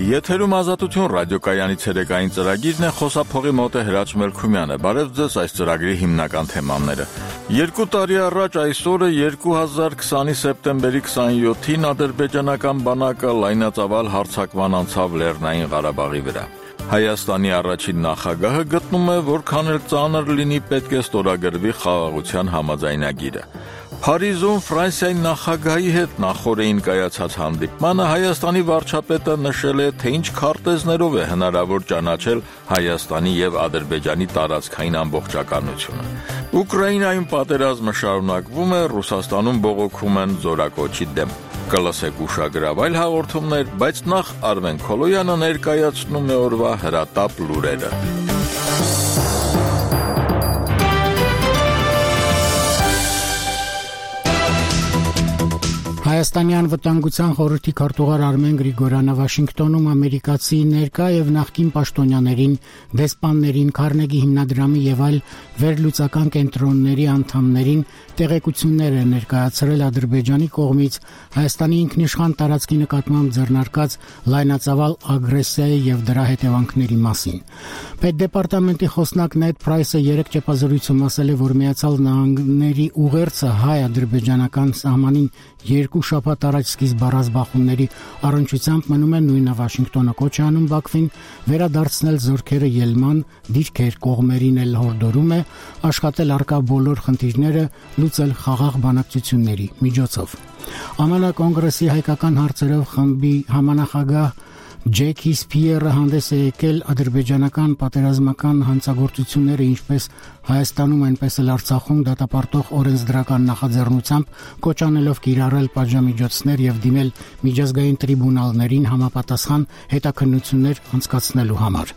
Եթերում ազատություն ռադիոկայանի ցերեկային ծրագիրն է, խոսափողի մոտ է Հրաչ Մելքումյանը։ Բարև ձեզ, այս ծրագրի հիմնական թեմաները։ 2 տարի առաջ այսօրը 2020-ի սեպտեմբերի 27-ին ադրբեջանական բանակը լայնածավալ հարձակման անցավ Լեռնային Ղարաբաղի վրա։ Հայաստանի առաջին նախագահը գտնում է, որքան էլ ծանր լինի, պետք է ստորագրվի խաղաղության համաձայնագիրը։ Փարիզում Ֆրանսիայի նախագահի հետ նախօրեին կայացած հանդիպմանը Հայաստանի վարչապետը նշել է, թե ինչ քարտեզներով է հնարավոր ճանաչել Հայաստանի եւ Ադրբեջանի տարածքային ամբողջականությունը։ Ուկրաինայում պատերազմը շարունակվում է, Ռուսաստանում բողոքում են զորակոչի դեմ։ Կլսեք ուշագրավ այլ հաղորդումներ, բայց նախ Արմեն Քոլոյանը ներկայացնում է օրվա հրատապ լուրերը։ Հայաստանի անվտանգության խորհրդի քարտուղար Արմեն Գրիգորյանը Վաշինգտոնում ամերիկացի ներկա եւ նախկին պաշտոնյաներին, դեսպաններին, Քարնեգի հիմնադրամի եւ այլ վերլուծական կենտրոնների անդամներին տեղեկություններ է ներկայացրել Ադրբեջանի կողմից Հայաստանի ինքնիշխան տարածքի նկատմամբ ձեռնարկած լայնածավալ ագրեսիայի եւ դրա հետևանքների մասին։ Պետդեպարտամենտի խոսնակ Նեդ Պրայսը երեկ ճեպազրույցում ասել է, որ Միացյալ Նահանգների ուղերձը հայ-ադրբեջանական սահմանին 2 շաբաթ առաջ սկիզբ առած բախումների առնչությամբ մնում է նույնը Վաշինգտոնը կոչ է անում Բաքվին վերադարձնել զորքերը ելման, դիրքեր կողմերին էլ հորդորում է աշխատել առկա բոլոր խնդիրները լուծել խաղաղ բանակցությունների միջոցով։ ԱՄՆ կոնգրեսի հայկական հարցերով խմբի համանախագահ Ջեքի Սփիերը հանդես է եկել ադրբեջանական պատերազմական հանցագործությունները ինչպես Հայաստանում, այնպես էլ Արցախում դատապարտող օրենսդրական նախաձեռնությամբ կոչ անելով կիրառել պատժամիջոցներ եւ դիմել միջազգային տրիբունալներին համապատասխան հետաքննություններ անցկացնելու համար։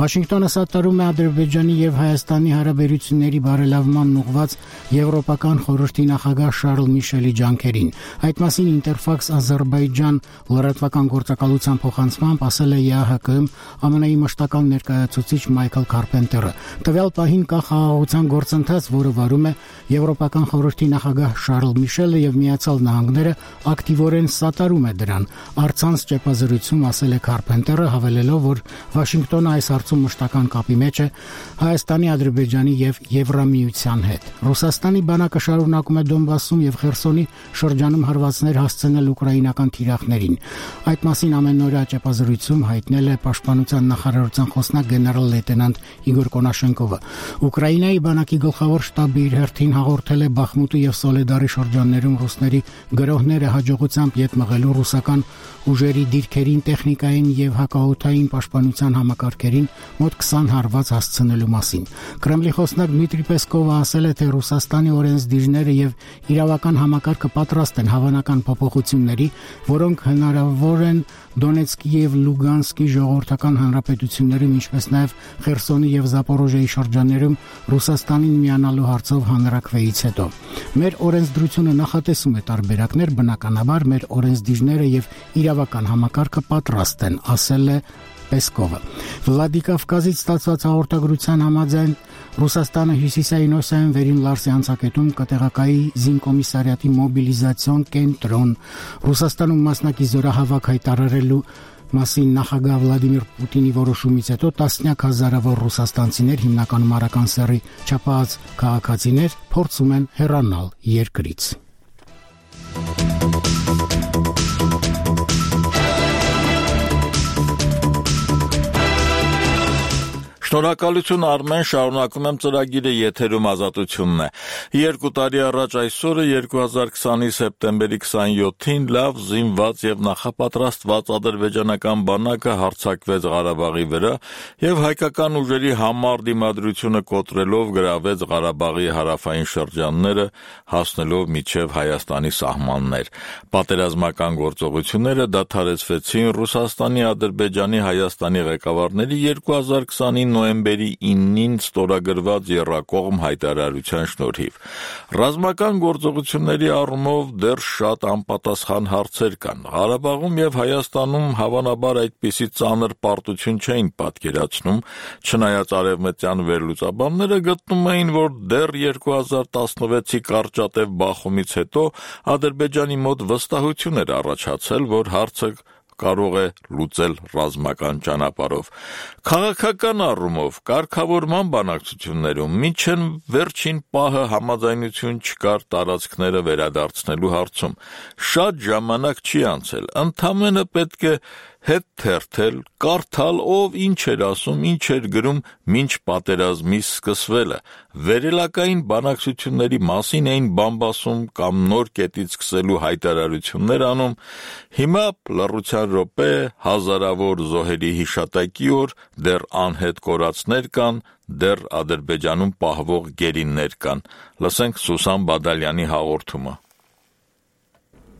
Վաշինգտոնը սատարում է Ադրբեջանի եւ Հայաստանի հարաբերությունների բարելավման ուղղված Եվրոպական խորհրդի նախագահ Շարլ Միշելի ջանքերին։ Այդ մասին Interfax Azerbaijan լրատվական գործակալության փոխանցմամբ ասել է ԵԱՀԿ-ում ԱՄՆ-ի մշտական ներկայացուցիչ Մայքլ Քարպենտերը։ Տվյալ պահին կա խաղաղության գործընթաց, որը վարում է Եվրոպական խորհրդի նախագահ Շարլ Միշելը եւ Միացյալ Նահանգները ակտիվորեն սատարում է դրան։ Առցանց ճեպազրույցում ասել է Քարպենտերը, հավելելով, որ Վաշինգտոնը այս հարցում մշտական կապի մեջ է Հայաստանի, Ադրբեջանի եւ Եվրամիության հետ։ Ռուսաստանի բանակը շարունակում է Դոնբասում եւ Խերսոնի շրջանում հարվածներ հասցնել ուկրաինական թիրախներին։ Այդ մասին ամենօրյա ճեպազրույցում հայտնել է Պաշտպանության նախարարության խոսնակ գեներալ լեյտենանտ Իգոր Կոնաշենկովը։ Ուկրաինայի բանակի գլխավոր շտաբը իր հերթին հաղորդել է Բախմուտի եւ Սոլեդարի շրջաններում ռուսների գրոհները հաջողությամբ ետ մղելու ռուսական ուժերի դիրքերին, տեխնիկային եւ հակաօդային պաշտպանության համակարգերին մոտ 20 հարված հասցնելու մասին։ Կրեմլի խոսնակ Դմիտրի Պեսկովը ասել է, թե Ռուսաստանի օրենսդիրները եւ իրավական համակարգը պատրաստ են հավանական փոփոխությունների, որոնք հնարավոր են Դոնեցկի եւ Լուգանսկի ժողովրդական հանրապետություններում, ինչպես նաեւ Խերսոնի եւ Զապորոժիայի շրջաններում Ռուսաստանին միանալու հարցով հանրակրվեից հետո։ Մեր օրենսդրությունը նախատեսում է տարբերակներ, բնականաբար մեր օրենսդիրները եւ իրավական համակարգը պատրաստ են, ասել է Պեսկովը։ Վլադիկավկազից ստացված հաղորդագրության համաձայն Ռուսաստանը հյուսիսային Օսիայում վերին Լարսի անցակետում կտեղակայի զինկոմիսարիատի մոբիլիզացիոն կենտրոն։ Ռուսաստանում մասնակի զորահավաք հայտարարելու մասին նախագահ Վլադիմիր Պուտինի որոշումից հետո տասնյակ հազարավոր ռուսաստանցիներ, հիմնականում արական սեռի չափած քաղաքացիներ, փորձում են հեռանալ երկրից։ Շնորհակալություն Արմեն, շարունակում եմ ծրագիրը, եթերում ազատությունն է։ 2 տարի առաջ այսօրը 2020-ի սեպտեմբերի 27-ին լավ զինված եւ նախապատրաստված ադրբեջանական բանակը հարձակվեց Ղարաբաղի վրա եւ հայկական ուժերի համառ դիմադրությունը կոտրելով գրավեց Ղարաբաղի հարավային շրջանները, հասնելով մինչեւ Հայաստանի սահմաններ։ Պատերազմական գործողությունները դադարեցվեցին Ռուսաստանի, Ադրբեջանի, Հայաստանի ղեկավարների 2020-ի նոյեմբերի 9-ին ստորագրված եռակողմ հայտարարության շնորհիվ։ Ռազմական գործողությունների առումով դեռ շատ անպատասխան հարցեր կան։ Ղարաբաղում եւ Հայաստանում հավանաբար այդպիսի ծանր պարտություն չէին պատկերացնում, չնայած արևմտյան վերլուծաբանները գտնում էին, որ դեռ 2016-ի կարճատև բախումից հետո Ադրբեջանի մոտ վստահություն էր առաջացել, որ հարցը կարող է լուծել ռազմական ճանապարհով։ Քաղաքական առումով կարգավորման բանակցություններում մինչև վերջին պահը համաձայնություն չկար տարածքները վերադարձնելու հարցում։ Շատ ժամանակ չի անցել, ընդամենը պետք է հետ թերթել, կարդալ ով ինչ էր ասում, ինչ էր գրում մինչ պատերազմի սկսվելը, վերելակային բանակցությունների մասին էին բամբասում կամ նոր կետից սկսելու հայտարարություններ անում, հիմա լռության րոպե, հազարավոր զոհերի հիշատակի օր, դեռ անհետ կորածներ կան, դեռ Ադրբեջանում պահվող գերիներ կան, լսենք Սուսան Բադալյանի հաղորդումը։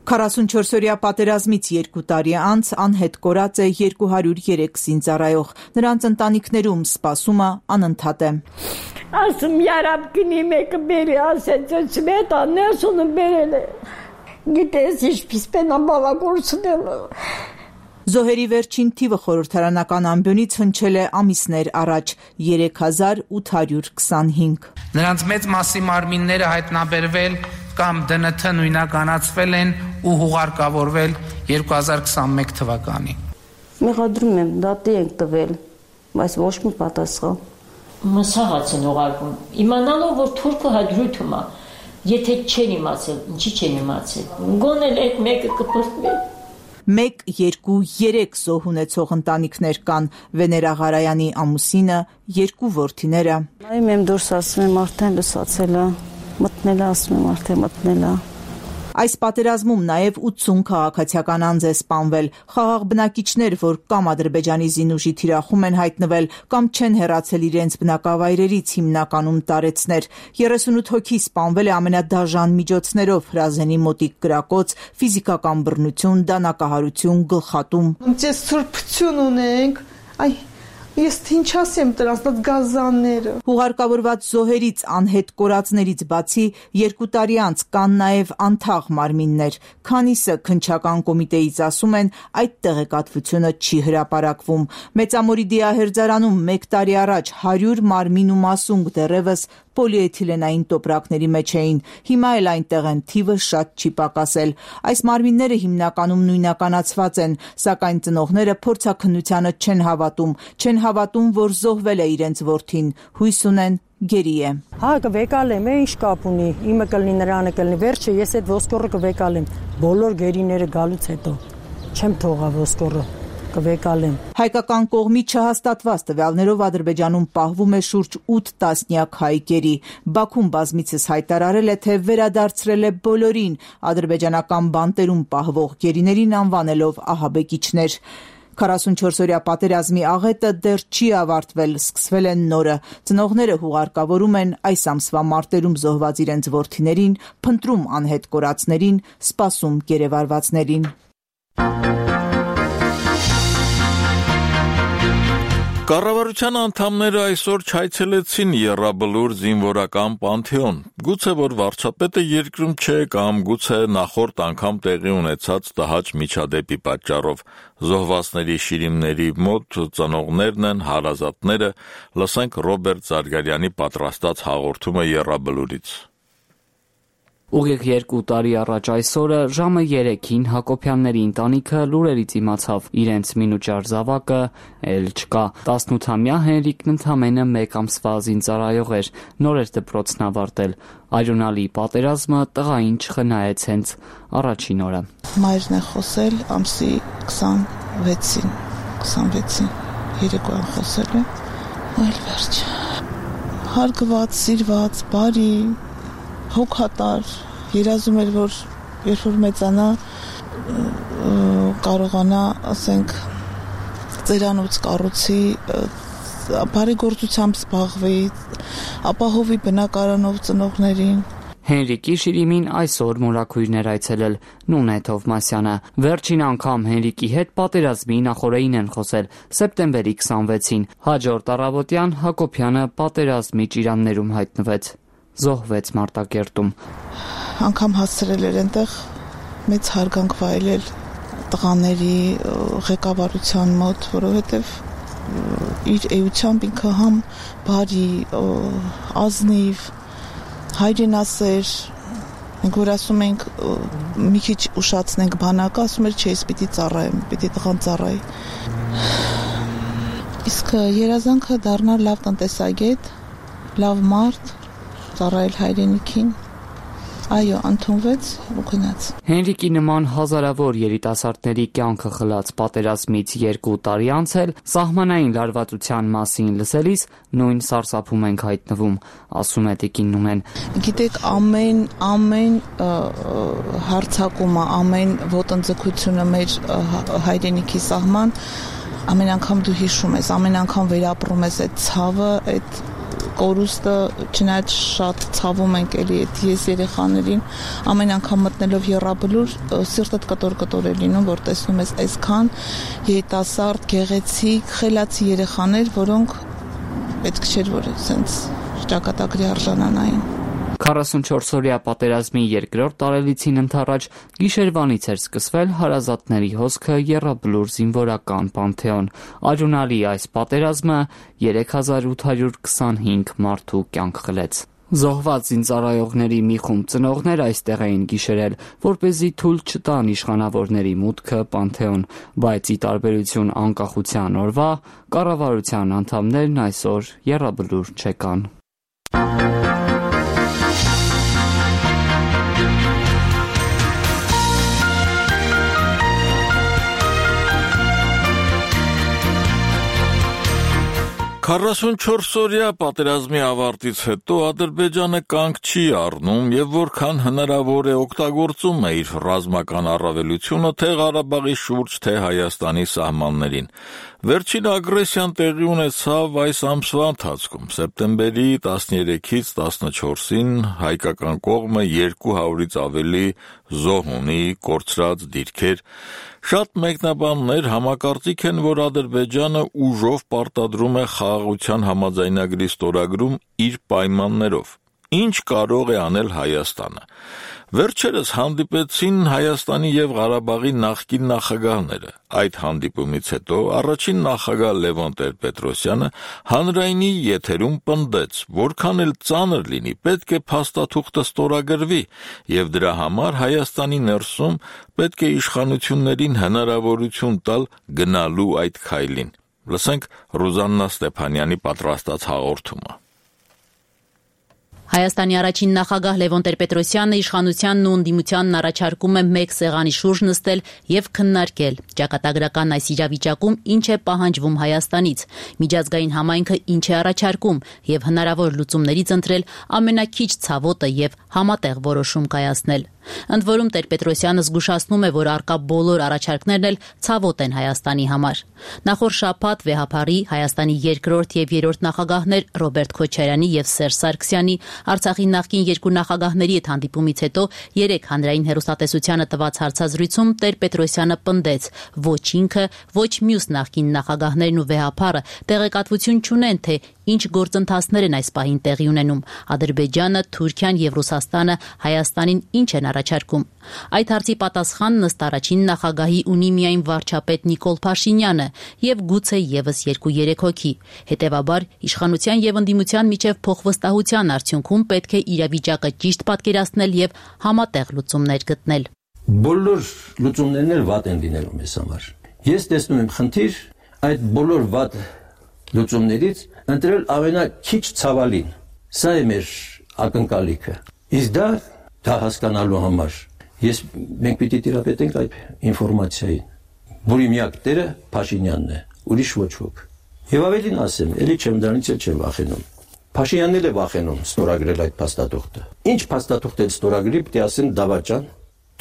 44-օրյա պատերազմից 2 տարի անց անհետ կորած է 203 զինծառայող, նրանց ընտանիքներում սպասումը անընդհատ է։ Ասում երապ գնի մեկը բերի, ասեց մետ անեսունը բերել է, գիտես ինչպես պենա բավագործնելը։ Զոհերի վերջին թիվը խորհրդարանական ամբյոնից հնչել է ամիսներ առաջ 3825։ Նրանց մեծ մասի մարմինները հայտնաբերվել կամ ԴՆԹ նույնականացվել են ու հուղարկավորվել 2021 թվականին։ Մեղադրում եմ, դատի ենք տվել, բայց ոչ մի պատասխան։ Մսահաց են ուղարկում, իմանալով, որ թուրքը հաջրույթում է, եթե չեն իմացել, ինչի չեն իմացել, գոնել այդ մեկը կպրտվի։ 1, 2, 3 զոհ ունեցող ընտանիքներ կան, Վեներա Ղարայանի ամուսինը, 2 որդիները։ Նայում եմ դուրս, ասում եմ արդեն լսացել է, մտնել է, ասում եմ արդեն մտնել է։ Այս պատերազմում նաև 80 քաղաքացիական անձ է սպանվել, խաղաղ բնակիչներ, որ կամ Ադրբեջանի զինուժի թիրախում են հայտնվել, կամ չեն հեռացել իրենց բնակավայրերից, հիմնականում տարեցներ։ 38 հոգի սպանվել է ամենադաժան միջոցներով՝ հրազենի մոտիկ կրակոց, ֆիզիկական բռնություն, դանակահարություն, գլխատում։ Ես սրբություն ունենք, ես ինչ ասեմ դրանց գազանները։ Հուղարկավորված զոհերից անհետ կորածներից բացի 2 տարի անց կան նաև անթաղ մարմիններ, քանիսը քննչական կոմիտեից ասում են այդ տեղեկատվությունը չի հրապարակվում։ Մեծամորի դիահերձարանում 1 տարի առաջ 100 մարմին ու մասունք դեռևս պոլիէթիլենային տոպրակների մեջ էին, հիմա էլ այնտեղ են, թիվը շատ չի պակասել։ Այս մարմինները հիմնականում նույնականացված են, սակայն ծնողները փորձաքննությանը չեն հավատում, որ զոհվել է իրենց որդին, հույս ունեն գերի է։ Հա կվեկալեմ, ինչ կապ ունի, իմը կլինի, նրանը կլինի, վերջը ես այդ ոսկորը կվեկալեմ, բոլոր գերիները գալուց հետո, չեմ թողա ոսկորը, կվեկալեմ։ Հայկական կողմի չհաստատված տվյալներով Ադրբեջանում պահվում է շուրջ 8 տասնյակ հայ գերի։ Բաքուն բազմիցս հայտարարել է, թե վերադարձրել է բոլորին ադրբեջանական բանտերում պահվող գերիներին անվանելով ահաբեկիչներ։ 44-օրյա պատերազմի աղետը դեռ չի ավարտվել, սկսվել են նորը։ Ծնողները հուղարկավորում են այս ամսվա մարտերում զոհված իրենց որդիներին, փնտրում անհետ կորածներին, սպասում գերեվարվածներին։ Կառավարության անդամները այսօր չայցելեցին Եռաբլուր զինվորական պանթեոն։ Գուցե որ վարչապետը երկրում չէ կամ գուցե նախորդ անգամ տեղի ունեցած տհաճ միջադեպի պատճառով։ Զոհվածների շիրիմների մոտ ծնողներն են, հարազատները, լսենք Ռոբերտ Զարգարյանի պատրաստած հաղորդումը Եռաբլուրից։ Ուղիղ 2 տարի առաջ այսօրը ժամը 3-ին Հակոբյանների ընտանիքը լուրերից իմացավ, իրենց մինուճար զավակը էլ չկա։ 18-ամյա Հենրիկն ընդամենը 1 ամսվա զինծառայող էր, նոր էր դպրոցն ավարտել։ Այրոնալի պատերազմը տղային չխնայեց հենց առաջին օրը։ Մայրն է խոսել ամսի 26-ին, երեկոյան խոսել է, այլ վերջ։ Հարգված, սիրված, բարի, հոգատար, երազում էր, որ երբ որ մեծանա կարողանա, ասենք, ծերանոց կառուցի, բարի գործությամբ զբաղվի, ապահովի բնակարանով ծնողներին։ Հենրիկի շիրիմին այսօր մորաքույրներ այցելել Նունե Թովմասյանը։ Վերջին անգամ Հենրիկի հետ պատերազմի նախօրեին են խոսել սեպտեմբերի 26-ին։ Հաջորդ առավոտյան Հակոբյանը պատերազմի ճիրաններում հայտնվեց։ Զոհվեց Մարտակերտում։ Անգամ հասցրել էր այնտեղ մեծ հարգանք վայելել տղաների ղեկավարության մոտ, որովհետև իր էությամբ ինքը համ բարի, ազնիվ, հայրենասեր, Մենք որ ասում ենք մի քիչ ուշացնենք բանակը, ասում էր չէ, ես պիտի ծառայեմ, պիտի տղան ծառայի։ Իսկ երազանքը դառնալ լավ տնտեսագետ, լավ մարդ, ծառայել հայրենիքին։ Այո, ընդունվեց ու գնաց։ Հենրիկի նման հազարավոր երիտասարդների կյանքը խլած պատերազմից 2 տարի անց էլ սահմանային լարվածության մասին լսելիս նույն սարսափում ենք հայտնվում, ասում է տիկին Նունեն։ Գիտեք, ամեն հարձակումը, ամեն ոտնձգությունը մեր հայրենիքի սահման, ամեն անգամ դու հիշում ես, ամեն անգամ վերապրում ես այդ ցավը, այդ կորուստը, չնայած շատ ցավում ենք էլի այդ ես երեխաներին, ամեն անգամ մտնելով եռաբլուր սիրտդ կտոր է լինում, որ տեսնում ես այսքան երիտասարդ, գեղեցիկ, խելացի երեխաներ, որոնք պետք չէր որ ասենց ճակատագրի արժանանային։ 44-օրյա պատերազմի երկրորդ տարելիցին ընթառաջ գիշերվանից էր սկսվել հարազատների հոսքը եռաբլուր զինվորական պանթեոն։ Արյունալի այս պատերազմը 3825 մարդու կյանք խլեց։ Զոհված զինծառայողների մի խումբ ծնողներ այստեղ էին գիշերել, որպեսզի թույլ չտան իշխանավորների մուտքը պանթեոն, բայց ի տարբերություն անկախության օրվա, կառավարության անդամներն այսօր եռաբլուր չեկան։ Քառասունչորսօրյա պատերազմի ավարտից հետո Ադրբեջանը կանգ չի առնում եւ որքան հնարավոր է օգտագործում է իր ռազմական առավելությունը թե Ղարաբաղի շուրջ, թե Հայաստանի սահմաններին։ Վերջին ագրեսիան տեղի ունեցավ այս ամսվա ընթացքում։ Սեպտեմբերի 13-ից 14-ին հայկական կողմը 200-ից ավելի զոհ ունի, կորցրած դիրքեր։ Շատ մեկնաբաններ համակարծիք են, որ Ադրբեջանը ուժով պարտադրում է խաղաղության համաձայնագրի ստորագրում իր պայմաններով։ Ինչ կարող է անել Հայաստանը։ Վերջերս հանդիպեցին Հայաստանի եւ Ղարաբաղի նախկին նախագահները։ Այդ հանդիպումից հետո առաջին նախագահ Լևոն Տեր-Պետրոսյանը հանրայինի եթերում պնդեց, որքան էլ ծանր լինի, պետք է փաստաթուղթը ստորագրվի եւ դրա համար Հայաստանի ներսում պետք է իշխանություններին հնարավորություն տալ գնալու այդ քայլին։ Լսենք Ռուզաննա Ստեփանյանի պատրաստած հաղորդումը։ Հայաստանի առաջին նախագահ Լևոն Տեր-Պետրոսյանը իշխանությանն ու ընդդիմությանն առաջարկում է մեկ սեղանի շուրջ նստել եւ քննարկել ճակատագրական այս իրավիճակում ինչ է պահանջվում Հայաստանից, միջազգային համայնքը ինչ է առաջարկում եւ հնարավոր լուծումներից ընտրել ամենակիչ ցավոտը եւ համատեղ որոշում կայացնել։ Ընդ որում Տեր-Պետրոսյանը զգուշացնում է, որ առկա բոլոր առաջարկներն էլ ցավոտ են Հայաստանի համար։ Նախորդ շաբաթ վեհափարի Հայաստանի երկրորդ եւ երրորդ նախագահներ Ռոբերտ Քոչարյանի եւ Սերժ Սարգսյանի, Արցախի նախկին երկու նախագահների հետ հանդիպումից հետո 3 հանրային հեռուստատեսությանը տված հարցազրույցում Տեր-Պետրոսյանը պնդեց, ոչ ինքը, ոչ մյուս նախկին նախագահներն ու վեհափարը տեղեկատվություն չունեն, թե ինչ գործընթացներ են այս պահին տեղի ունենում։ Ադրբեջանը, Թուրքիան եւ Ռուսաստանը Հայաստանին ինչ են առաջարկում։ Այդ հարցի պատասխանն ըստ առաջին նախագահի ունի միայն վարչապետ Նիկոլ Փաշինյանը եւ գուցե եւս 2-3 հոգի։ Հետեւաբար իշխանության եւ ընդդիմության միջև փոխվստահության արդյունքում պետք է իրավիճակը ճիշտ պատկերացնել եւ համատեղ լուծումներ գտնել։ Բոլոր լուծումներն էլ վատ են լինելու մեզ համար։ Ես տեսնում եմ խնդիր այդ բոլոր վատ լուծումներից ընտրել ամենաքիչ ցավալին։ Սա է մեր ակնկալիքը։ Իսկ դա հասկանալու համար մենք պիտի տիրապետենք այդ ինֆորմացիային, որի միակ տերը Փաշինյանն է, ուրիշ ոչ ոք։ Եվ ավելին ասեմ, էլի չեմ դրանից էլ չեմ վախենում։ Փաշինյանն էլ է վախենում ստորագրել այդ փաստաթուղթը։ Ինչ փաստաթուղթ էլ ստորագրի, պիտի ասեն դավաճան,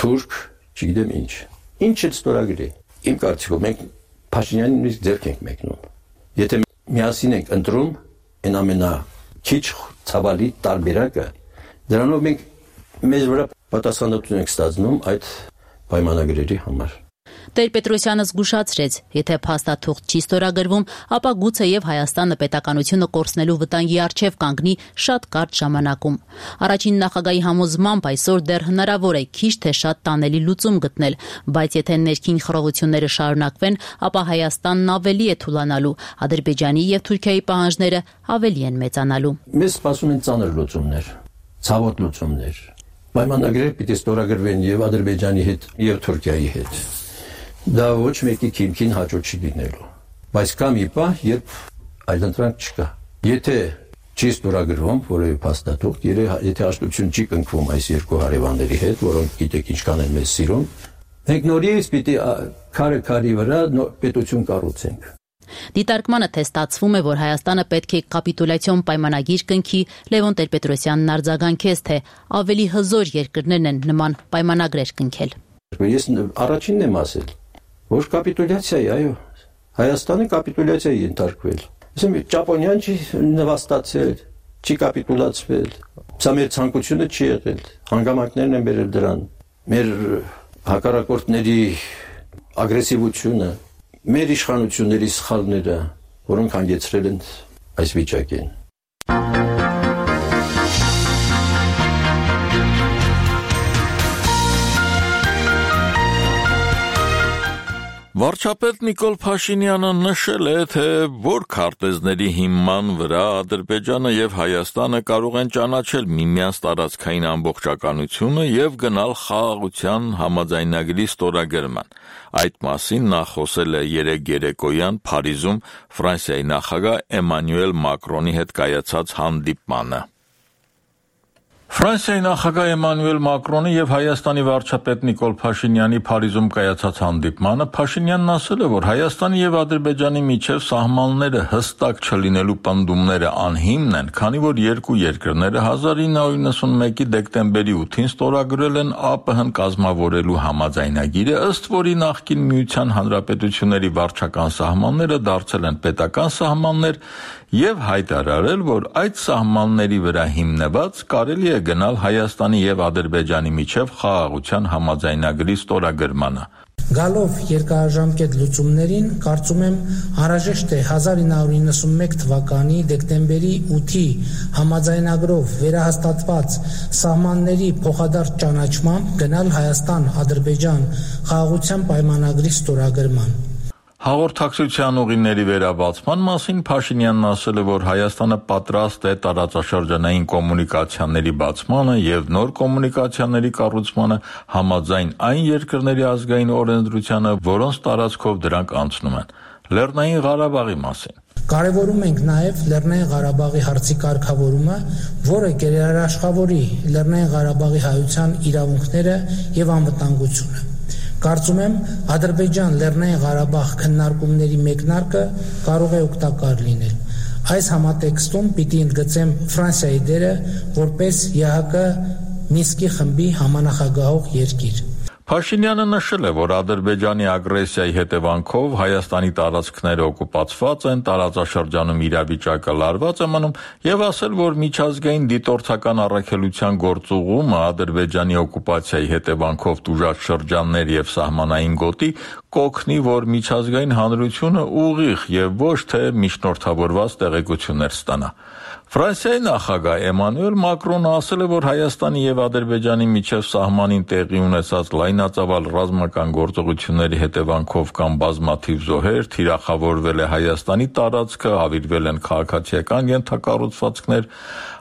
թուրք, չգիտեմ ինչ։ Ինչ էլ ստորագրի։ Իմ կարծիքով մենք Փաշինյանին նույնիսկ ձեռք ենք մեկնում։ Եթե միասին ենք ընտրում այն ամենաքիչ ցավալի տարբերակը, դրանով մենք մեզ վրա պատասխանատվություն ենք ստացնում այդ պայմանագրերի համար։ Տեր-Պետրոսյանը զգուշացրեց, եթե փաստաթուղթ չի ստորագրվում, ապա գուցե եւ Հայաստանը պետականությունը կորցնելու վտանգի առջև կանգնի շատ կարճ ժամանակում։ Առաջին նախագահի համոզմամբ այսօր դեռ հնարավոր է քիչ թե շատ տանելի լուծում գտնել, բայց եթե ներքին խռովությունները շարունակվեն, ապա Հայաստանն ավելի է թուլանալու, Ադրբեջանի եւ Թուրքիայի պահանջները ավելի են մեծանալու։ Մեզ սպասում են ծանր լուծումներ, ցավոտ լուծումներ, պայմանագրեր պիտի ստորագրվեն եւ Ադրբեջանի հետ եւ Թուրքիայի հետ։ Դա ոչ մեկի քիմքին հաջող չի լինելու։ Բայց կա մի պահ, երբ այլընտրանք չկա։ Եթե չի ստորագրվում որևէ փաստաթուղթ, եթե հաշտություն չի կնքվում այս երկու հարևանների հետ, որոնք գիտեք ինչքան են մեզ սիրում, մենք նորից պիտի քարի վրա պետություն կառուցենք։ Դիտարկմանը թե ստացվում է, որ Հայաստանը պետք է կապիտուլյացիոն պայմանագիր կնքի, Լևոն Տեր-Պետրոսյանն արձագանքեց, թե ավելի հզոր երկրներն են նման պայմանագրեր կնքել։ Ես առաջինն եմ ասել, որ կապիտուլյացիայի, այո, Հայաստանը կապիտուլյացիայի ենթարկվել։ Ասեմ, Ճապոնիան չի նվաստացել, չի կապիտուլացվել։ Սա մեր ցանկությունը չի եղել։ Հանգամանքներն են բերել դրան։ Մեր հակառակորդների ագրեսիվությունը, մեր իշխանությունների սխալները, որոնք հանգեցրել են այս վիճակին։ Վարչապետ Նիկոլ Փաշինյանը նշել է, թե որ քարտեզների հիման վրա Ադրբեջանը եւ Հայաստանը կարող են ճանաչել միմյանց տարածքային ամբողջականությունը եւ գնալ խաղաղության համաձայնագրի ստորագրման։ Այդ մասին նա խոսել է երեկ երեկոյան Փարիզում Ֆրանսիայի նախագահ Էմանուել Մակրոնի հետ կայացած հանդիպմանը։ Ֆրանսիայի նախագահ Էմանուել Մակրոնի եւ Հայաստանի վարչապետ Նիկոլ Փաշինյանի Փարիզում կայացած հանդիպմանը Փաշինյանն ասել է, որ Հայաստանի եւ Ադրբեջանի միջև սահմանները հստակ չլինելու պնդումները անհիմն են, քանի որ երկու երկրները 1991-ի դեկտեմբերի 8-ին ստորագրել են ԱՊՀ-ն կազմավորելու համաձայնագիրը, ըստ որի նախկին Միության Հանրապետությունների վարչական սահմանները դարձել են պետական սահմաններ եւ հայտարարել, որ այդ սահմանների վրա հիմնված կարելի է գնալ Հայաստանի եւ Ադրբեջանի միջև խաղաղության համաձայնագրի ստորագրմանը։ Գալով երկարաժամկետ լուծումներին, կարծում եմ անհրաժեշտ է 1991 թվականի դեկտեմբերի 8-ի համաձայնագրով վերահաստատված սահմանների փոխադարձ ճանաչմամբ գնալ Հայաստան-Ադրբեջան խաղաղության պայմանագրի ստորագրման։ Հաղորդակցության ուղիների վերաբացման մասին Փաշինյանն ասել է, որ Հայաստանը պատրաստ է տարածաշրջանային կոմունիկացիաների բացմանը եւ նոր կոմունիկացիաների կառուցմանը համաձայն այն երկրների ազգային օրենսդրությանը, որոնց տարածքով դրանք անցնում են։ Լեռնային Ղարաբաղի մասին Կարևորում ենք նաև Լեռնային Ղարաբաղի հարցի կարգավորումը, որը գերաշխավորի Լեռնային Ղարաբաղի հայության իրավունքները եւ անվտանգությունը։ Կարծում եմ, Ադրբեջան Լեռնային Ղարաբաղ քննարկումների մեկնարկը կարող է օգտակար լինել։ Այս համատեքստում պիտի ընդգծեմ Ֆրանսիայի դերը որպես ԵԱՀԿ Մինսկի խմբի համանախագահող երկիր։ Փաշինյանը նշել է, որ Ադրբեջանի ագրեսիայի հետևանքով Հայաստանի տարածքները օկուպացված են, տարածաշրջանում իրավիճակը լարված է մնում եւ ասել, որ միջազգային դիտորդական առաքելության գործուղումը Ադրբեջանի օկուպացիայի հետևանքով տուժած շրջաններ եւ սահմանային գոտի կօգնի, որ միջազգային հանրությունը ուղիղ եւ ոչ թե միջնորդավորված տեղեկություններ ստանա։ Ֆրանսիայի նախագահ Էմանուել Մակրոնը ասել է, որ Հայաստանի եւ Ադրբեջանի միջև սահմանին տեղի ունեցած լայնածավալ ռազմական գործողությունների հետևանքով կան բազմաթիվ զոհեր, թիրախավորվել է Հայաստանի տարածքը, հավիրվել են քաղաքացիական ենթակառուցվածքներ,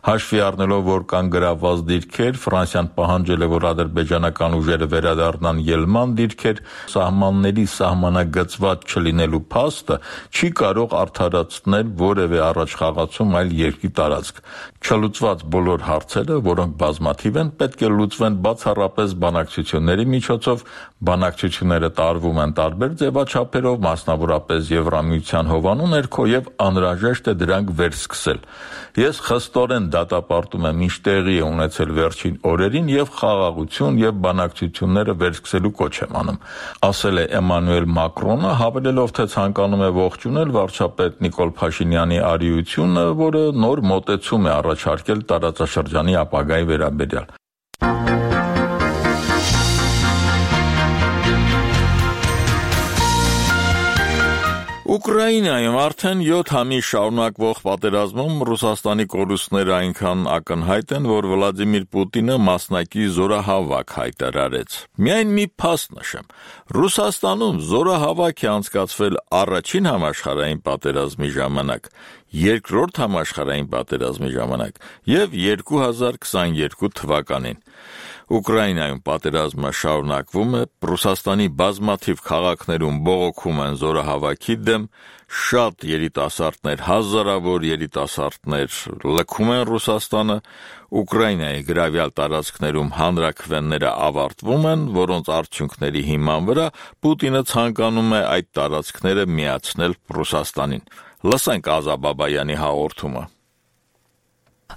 հաշվի առնելով, որ կան գրավված դիրքեր, Ֆրանսիան պահանջել է, որ ադրբեջանական ուժերը վերադառնան ելման դիրքեր, սահմանների սահմանագծված չլինելու փաստը չի կարող արդարացնել որևէ առաջխաղացում այլ երկրի տարածք։ Չլուծված բոլոր հարցերը, որոնք բազմաթիվ են, պետք է լուծվեն բացառապես բանակցությունների միջոցով, բանակցությունները տարվում են տարբեր ձևաչափերով, մասնավորապես Եվրամիության հովանու ներքո եւ անհրաժեշտ է դրանք վերսկսել։ Ես խստորեն դատապարտում եմ ինչ տեղի է ունեցել վերջին օրերին եւ խաղաղություն եւ բանակցությունները վերսկսելու կոչ եմ անում, ասել է Էմանուել Մակրոնը, հավելելով, թե ցանկանում է ողջունել վարչապետ Նիկոլ Փաշինյանի արիությունը, որը նոր մոտեցում է առաջարկել տարածաշրջանի ապագայի վերաբերյալ։ Ուկրաինայում արդեն 7 ամիս շարունակվող պատերազմում Ռուսաստանի կորուստները այնքան ակնհայտ են, որ Վլադիմիր Պուտինը մասնակի զորահավաք հայտարարեց։ Միայն մի փաստ նշեմ. Ռուսաստանում զորահավաք է անցկացվել առաջին համաշխարհային պատերազմի ժամանակ, երկրորդ համաշխարհային պատերազմի ժամանակ եւ 2022 թվականին։ Ուկրաինայում պատերազմը շարունակվում է, Ռուսաստանի բազմաթիվ քաղաքներում բողոքում են զորահավաքի դեմ, շատ երիտասարդներ, հազարավոր երիտասարդներ լքում են Ռուսաստանը, Ուկրաինայի գրավյալ տարածքներում հանրաքվենները ավարտվում են, որոնց արդյունքների հիման վրա Պուտինը ցանկանում է այդ տարածքները միացնել Ռուսաստանին։ Լսենք Ազա Բաբայանի հաղորդումը։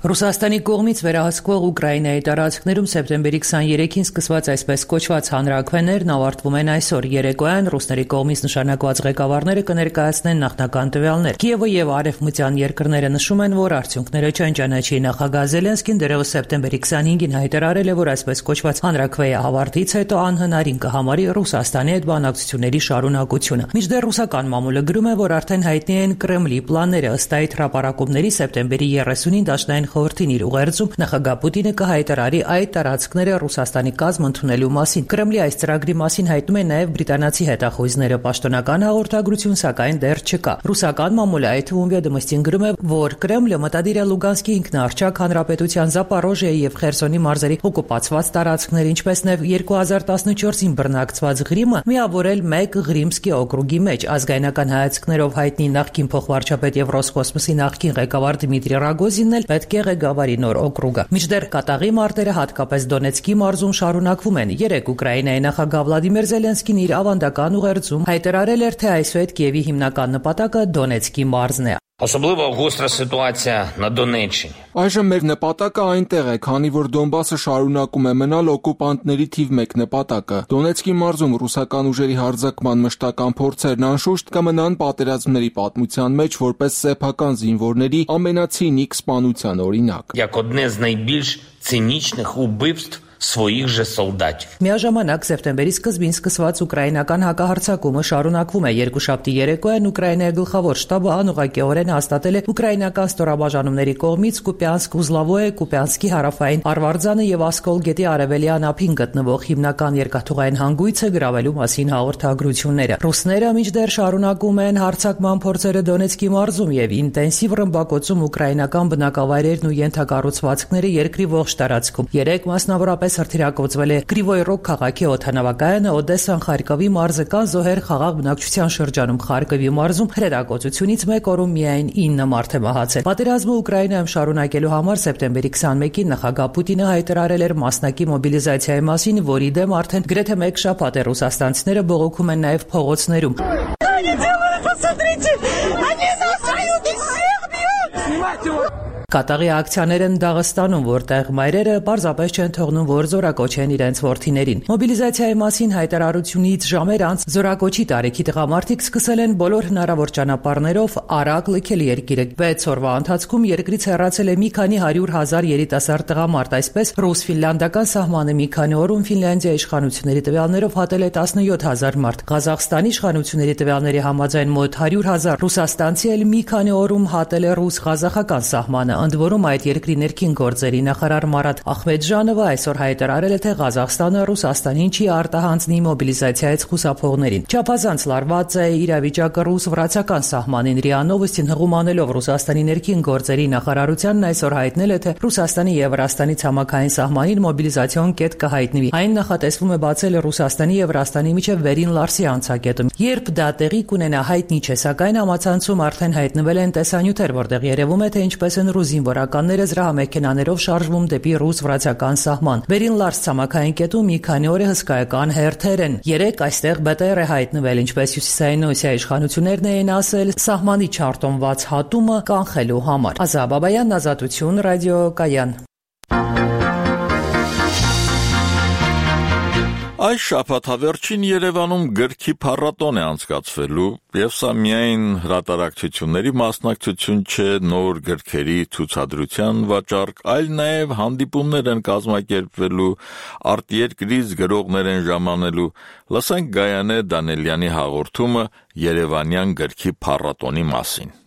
Ռուսաստանի կողմից վերահսկվող Ուկրաինայի տարածքներում սեպտեմբերի 23-ին սկսված այսպես կոչված հանրաքվեներն ավարտվում են այսօր։ Երեկոյան ռուսների կողմից նշանակված ղեկավարները կներկայացնեն նախնական տվյալներ։ Կիևը եւ արևմտյան երկրները նշում են, որ արդյունքները չեն ճանաչի։ Նախագահ Զելենսկին դեռևս սեպտեմբերի 25-ին հայտարարել է, որ այսպես կոչված հանրաքվեի ավարտից հետո անհնարին կհամարի Ռուսաստանի հետ բանակցությունների շարունակությունը։ Մինչդեռ ռուսական մամուլը գրում է, որ արդեն հայտնի են Կրեմլի պլանները։ Ըստ այդ հրապարակումների սեպտեմբերի 30-ին Դաշնային խորհրդին իր ուղերձում նախագահ Պուտինը կհայտարարի այդ տարածքները Ռուսաստանի կազմ ընդունելու մասին։ Կրեմլի այս ծրագրի մասին հայտնում են նաև բրիտանացի հետախույզները։ Պաշտոնական հաղորդագրություն սակայն դեռ չկա։ Ռուսական մամուլը այդ թվում Վեդոմստին գրում է, որ Կրեմլը մտադիր է Լուգանսկի ինքնաարչակ հանրապետության Զապարոժիայի եւ Խերսոնի մարզերի օկուպացված տարածքներ, ինչպես նաև 2014-ին բռնակցված Ղրիմը միավորել մեկ Ղրիմսկի օկրուգի մեջ։ Ազգայնական հայացքներով հայտնի նախկին փոխվարչապետ եւ Ռոսկոսմոսի նախկին ղեկավար Դմիտրի Ռագոզինն էլ պետք է ղեկավարի նոր օկրուգը։ Մինչդեռ կատաղի մարտերը հատկապես Դոնեցկի մարզում շարունակվում են։ Երեկ Ուկրաինայի նախագահ Վլադիմիր Զելենսկին իր ավանդական ուղերձում հայտարարել էր, թե այսուհետ Կիևի հիմնական նպատակը Դոնեցկի մարզն է։ Особливо гостра ситуація на Донеччині. Այժմ մեր նպատակը այնտեղ է, քանի որ Դոնբասը շարունակում է մնալ օկուպանտների թիվ 1 նպատակը։ Դոնեցկի մարզում ռուսական ուժերի հարձակման մշտական փորձերն անշուշտ կմնան պատերազմների պատմության մեջ որպես սեփական զինվորների ամենացինիկ սպանության օրինակ։ Як одне з найбільш цинічних убивств своїх же солдатів. Միաժամանակ սեպտեմբերի սկզբին սկսված ուկրաինական հակահարձակումը շարունակվում է։ Երկուշաբթի երեկոյան Ուկրաինայի գլխավոր շտաբը անուղղակիորեն հաստատել է ուկրաինական ստորաբաժանումների կողմից Կուպյանսկ, Ուզլավոյե, Կուպյանսկի հարավային Արվարձանը եւ Ասկոլ գետի արևելյան ափին գտնվող հիմնական երկաթուղային հանգույցը գրավելու մասին հաղորդագրությունները։ Ռուսները մինչդեռ շարունակում են հարձակման փորձերը Դոնեցկի մարզում եւ ինտենսիվ ռմբակոծում ուկրաինական բնակավայրերն ու ենթակառուցվածքները երկրի ողջ տարածքում։ Երեք մասնավորապես հրթիռակոծվել է Կրիվոյ Ռոգ քաղաքի օդանավակայանը, Օդեսան, Խարկովի մարզը կան զոհեր խաղաղ բնակչության շրջանում։ Խարկովի մարզում հրետակոծությունից 1 օրում միայն 9 մարդ է մահացել։ Պատերազմը Ուկրաինայում շարունակելու համար սեպտեմբերի 21-ին նախագահ Պուտինը հայտարարել էր մասնակի մոբիլիզացիայի մասին, որի դեմ արդեն գրեթե 1 շաբաթ է ռուսաստանցիները բողոքում են նաև փողոցներում։ Կատաղի ակցիաներ են Դաղստանում, որտեղ մայրերը պարզապես չեն թողնում, որ զորակոչեն իրենց որդիներին։ Մոբիլիզացիայի մասին հայտարարությունից ժամեր անց զորակոչի տարիքի տղամարդիկ սկսել են բոլոր հնարավոր ճանապարհներով արագ լքել երկիրը։ 6 օրվա ընթացքում երկրից հեռացել է մի քանի 100,000 երիտասարդ տղամարդ, այսպես ռուս-ֆինլանդական սահմանը մի քանի օրում Ֆինլանդիայի իշխանությունների տվյալներով հատել է 17,000 մարդ։ Ղազախստանի իշխանությունների տվյալների համաձայն մոտ 100,000 ռուսաստանցի էլ մի քանի օրում հատել է ռուս-ղազախական սահմանը։ Ընդ որում այդ երկրի ներքին գործերի նախարար Մարատ Ախմեդժանովը այսօր հայտարարել է, թե Ղազախստանը Ռուսաստանին չի արտահանձնի մոբիլիզացիայից խուսափողներին։ Չափազանց լարված է իրավիճակը ռուս-վրացական սահմանին։ ՌԻԱ Նովոստին հղումանելով Ռուսաստանի ներքին գործերի նախարարությանն այսօր հայտնել է, թե Ռուսաստանի եւ Վրաստանի ցամաքային սահմանին մոբիլիզացիոն կետ կհայտնվի։ Այն նախատեսվում է բացել Ռուսաստանի եւ Վրաստանի միջև Վերին Լարսի անցակետում։ Երբ դա տեղի կունենա, հայտնի չէ, սակայն համացանցում արդեն հայտնվել են տեսանյութեր, որտեղ երևում է, թե ինչպես են ռուս զինվորականները զրահամեքենաներով շարժվում դեպի ռուս-վրացական սահման։ Վերին Լարս ցամաքային կետում մի քանի օր է հսկայական հերթեր են։ Երեք այստեղ ԲՏՌ է հայտնվել, ինչպես Հյուսիսային Օսիայի իշխանություններն էին ասել, սահմանի չարտոնված հատումը կանխելու համար։ Ազա Բաբայան, Ազատություն, ռադիոկայան։ Այս շաբաթավերջին Երևանում գրքի փառատոն է անցկացվելու, եւ սա միայն հրատարակչությունների մասնակցություն չէ, նոր գրքերի ցուցադրության վաճառք, այլ նաեւ հանդիպումներ են կազմակերպվելու, արտերկրից գրողներ են ժամանելու։ Լսենք Գայանե Դանելյանի հաղորդումը Երևանյան գրքի փառատոնի մասին։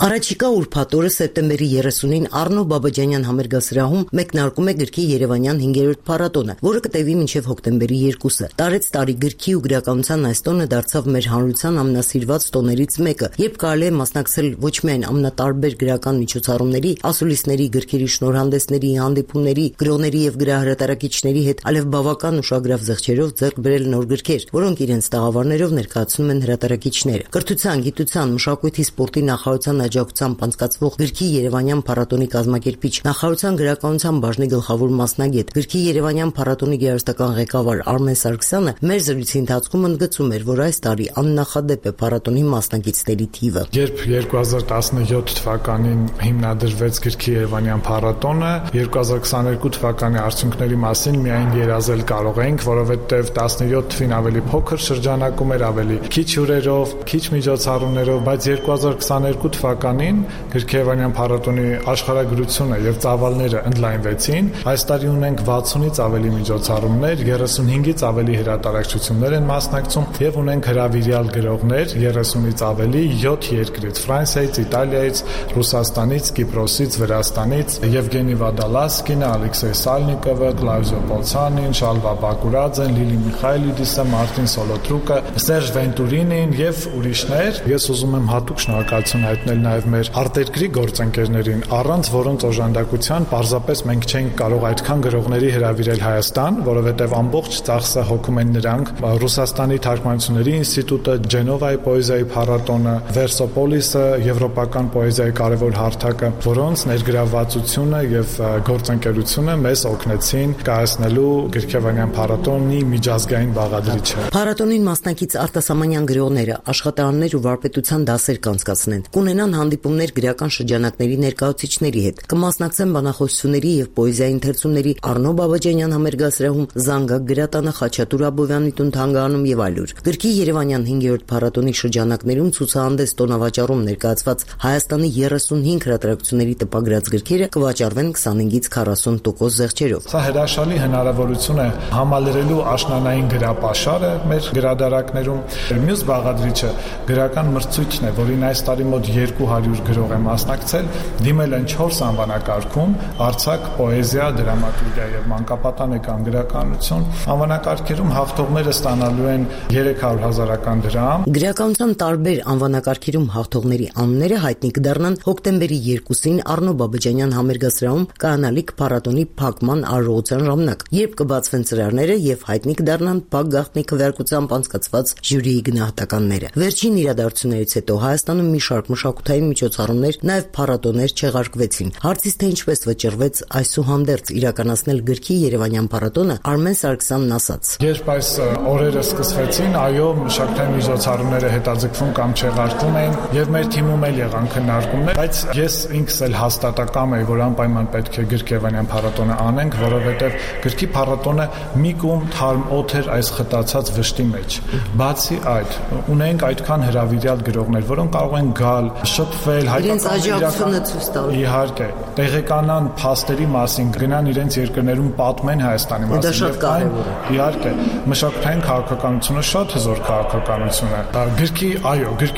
Առաջիկա ուրբաթ օրը սեպտեմբերի 30-ին Առնո Բաբաջանյան համերգասրահում մեկնարկում է գրքի Երևանյան 5-րդ փառատոնը, որը կտևի մինչև հոկտեմբերի 2-ը։ Տարեց տարի գրքի ու գրականության այս տոնը դարձավ մեր հանրության ամենասիրված տոներից մեկը, երբ կարելի է մասնակցել ոչ միայն ամենատարբեր գրական միջոցառումների, ասուլիսների, գրքերի շնորհանդեսների, հանդիպումների, գրողների եւ գրահրատարակիչների հետ, այլև բավական ուշագրավ զեղչերով ձեռք բերել նոր գրքեր, որոնք իրենց տաղավարներով ներկայացնում են հրատարակիչները։ Կրթության, գիտության, մշակույթի, սպորտի նախարարության աջակցությամբ անցկացվող գրքի Երևանյան փառատոնի կազմակերպիչ, նախարարության գրականության բաժնի գլխավոր մասնագետ, գրքի Երևանյան փառատոնի գերստական ղեկավար Արմեն Սարգսյանը մեր զրույցի ընթացքում ընդգծում էր, որ այս տարի աննախադեպ է փառատոնի մասնակիցների թիվը։ Երբ 2017 թվականին հիմնադրվեց գրքի Երևանյան փառատոնը, 2022 թվականի արդյունքների մասին միայն երազել կարող էինք, որովհետև 17 թվին ավելի փոքր շրջանակում էր, ավելի քիչ հյուրերով, քիչ միջոցառումներով, բայց 2022 թվականին գրքի Երևանյան փառատոնի աշխարհագրությունը եւ ծավալները ընդլայնվեցին։ Այս տարի ունենք 60-ից ավելի միջոցառումներ, 35-ից ավելի հրատարակչություններ են մասնակցում եւ ունենք հրավիրյալ գրողներ 30-ից ավելի 7 երկրից՝ Ֆրանսիայից, Իտալիայից, Ռուսաստանից, Կիպրոսից, Վրաստանից, Եվգենի Վադալասկինը, Ալեքսեյ Սալնիկովը, Կլավզիո Պոլցանին, Շալվա Բակուրաձեն, Լիլի Միխայելիդիսը, Մարտին Սոլոտրուկը, Սերժ Վենտուրինին եւ ուրիշներ։ Ես ուզում եմ հատուկ շնորհակալություն հայտնել նաեւ մեր արտերկրի գործընկերներին, առանց որոնց օժանդակության պարզապես մենք չենք կարող այդքան գրողների հրավիրել Հայաստան, որովհետեւ ամբողջ ծախսը հոգում են նրանք։ Ռուսաստանի թարգմանությունների ինստիտուտը, Ջենովայի պոեզիայի փառատոնը, Վերսոպոլիսը, եվրոպական պոեզիայի կարևոր հարթակը, որոնց ներգրավվածությունը եւ գործընկերությունը մեզ օգնեցին կայացնելու գրքի Երևանյան փառատոնի միջազգային բաղադրիչը։ Փառատոնին մասնակից արտասահմանյան գրողները աշխատանքներ ու վարպետության դասեր կանցկացնեն, կունենան հանդիպումներ գրական շրջանակների ներկայացուցիչների հետ, կմասնակցեն բանախոսությունների եւ պոեզիայի ընթերցումների Առնո Բաբաջանյան համերգասրահում, Զանգակ գրատանը, Խաչատուր Աբովյանի տուն թանգարանում եւ այլուր։ Գրքի Երևանյան 5-րդ փառատոնի շրջանակներում ցուցահանդես տոնավաճառում ներկայացված Հայաստանի 35 հրատարակությունների տպագրած գրքերը կվաճառվեն 25-ից 40% զեղչերով։ Սա հրաշալի հնարավորություն է համալրելու աշնանային գրապաշարը մեր գրադարաններում։ Մյուս բաղադրիչը գրական մրցույթն է, որին այս տարի մոտ 200 գրող է մասնակցել, դիմել են 4 անվանակարգում՝ արձակ, պոեզիա, դրամատուրգիա եւ մանկապատանեկան գրականություն։ Անվանակարգերում հաղթողները ստանալու են 300,000 դրամ։ Գրականության տարբեր անվանակարգերում հաղթողների անունները հայտնի կդառնան հոկտեմբերի 2-ին Առնո Բաբաջանյան համերգասրահում կանալիք փառատոնի փակման արարողության ժամանակ, երբ կբացվեն ծրարները եւ հայտնի կդառնան փակ գաղտնի քվեարկությամբ անցկացված ժյուրիի գնահատականները։ Վերջին իրադարձություններից հետո Հայաստանում մի շարք մշակութային միջոցառումներ, նաեւ փառատոներ չեղարկվեցին։ Հարցից թե ինչպես վճռվեց այսուհանդերձ իրականացնել գրքի Երևանյան փառատոնը, Արմեն Սարգսյանն ասաց. Երբ այս օրերը սկսվեցին, այո, մշակութային միջոցառումները հետաձգվում կամ չեղարկվում էին եւ մեր թիմում էլ եղան քննարկումներ, բայց ես ինքս էլ հաստատակամ եմ, որ անպայման պետք է գրքի Երևանյան փառատոնը անենք, որովհետեւ գրքի փառատոնը մի կողմ թարմ օդ էր այս խտացած վշտի մեջ։ Բացի այդ, ունենք այդքան հրավիրյալ գրողներ, որոնք կարող են գալ, շփվել, հայտարարել, իհարկե, տեղեկանան փաստերի մասին, գնան իրենց երկրներում պատմեն Հայաստանի մասին։ Դա շատ կարևոր է։ Իհարկե, մշակութային քաղաքականությունը շատ հզոր քաղաքականություն է։ Գրքի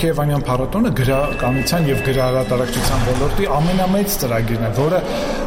Երևանյան փառատոնը գրականության եւ գրահրատարակչության ոլորտի ամենամեծ ծրագիրն է, որը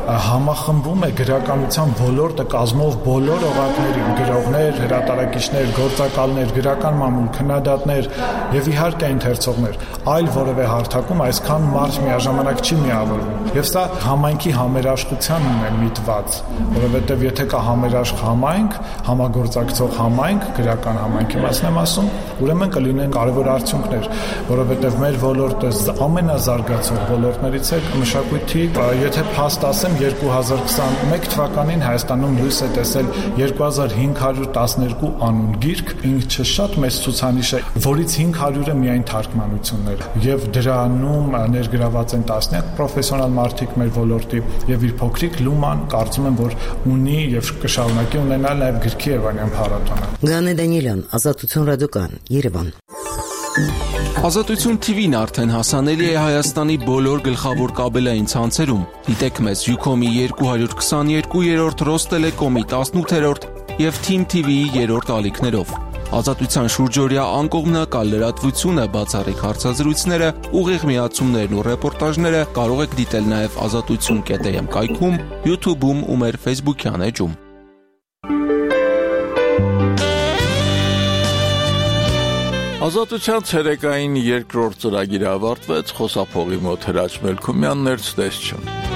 համախմբում է գրականության ոլորտը կազմող բոլոր օղակներին՝ գրողներ, հրատարակիչներ, գործակալներ, գրական մամուլ, քննադատներ եւ իհարկե ընթերցողներ։ Այլ որևէ հարթակում այսքան մարդ միաժամանակ չի միավորվում։ Եվ սա համայնքի համերաշխությանն է միտված, որովհետեւ եթե կա համերաշխ համայնք, համագործակցող համայնք, գրական համայնքի մասին եմ ասում, ուրեմն կլինեն կարևոր արդյունքներ, որովհետեւ մեր ոլորտը ամենազարգացող ոլորտներից է մշակույթի։ Եթե փաստ ասեմ, 2021 թվականին Հայաստանում լույս է տեսել 2512 անուն գիրք, ինչը շատ մեծ ցուցանիշ է, որից 500-ը միայն թարգմանություններ եւ դրանում ներգրաված են տասնյակ պրոֆեսիոնալ մարդիկ մեր ոլորտի եւ իր փոքրիկ լուման կարծում եմ որ ունի եւ կշարունակի ունենալ նաեւ գրքի Երևանյան փառատոնը։ Գանե Դանիելյան, Ազատություն ռադիոկայան, Երևան։ Ազատություն TV-ն արդեն հասանելի է Հայաստանի բոլոր գլխավոր կաբելային ցանցերում։ Դիտեք մեզ Ucom-ի 222-րդ, Rosttelecom-ի 18-րդ եւ Team TV-ի 3-րդ ալիքներով։ Ազատության շուրջօրյա անկողմնակալ լրատվությունը, բացառիկ հարցազրույցները, ուղիղ միացումներն ու ռեպորտաժները կարող եք դիտել նաև azatutsun.am կայքում, YouTube-ում ու մեր Facebook-յան էջում։ Ազատության ցերեկային երկրորդ ծրագիրը ավարտվեց, խոսափողի մոտ Հրաչ Մելքումյանն էր, ցտեսություն։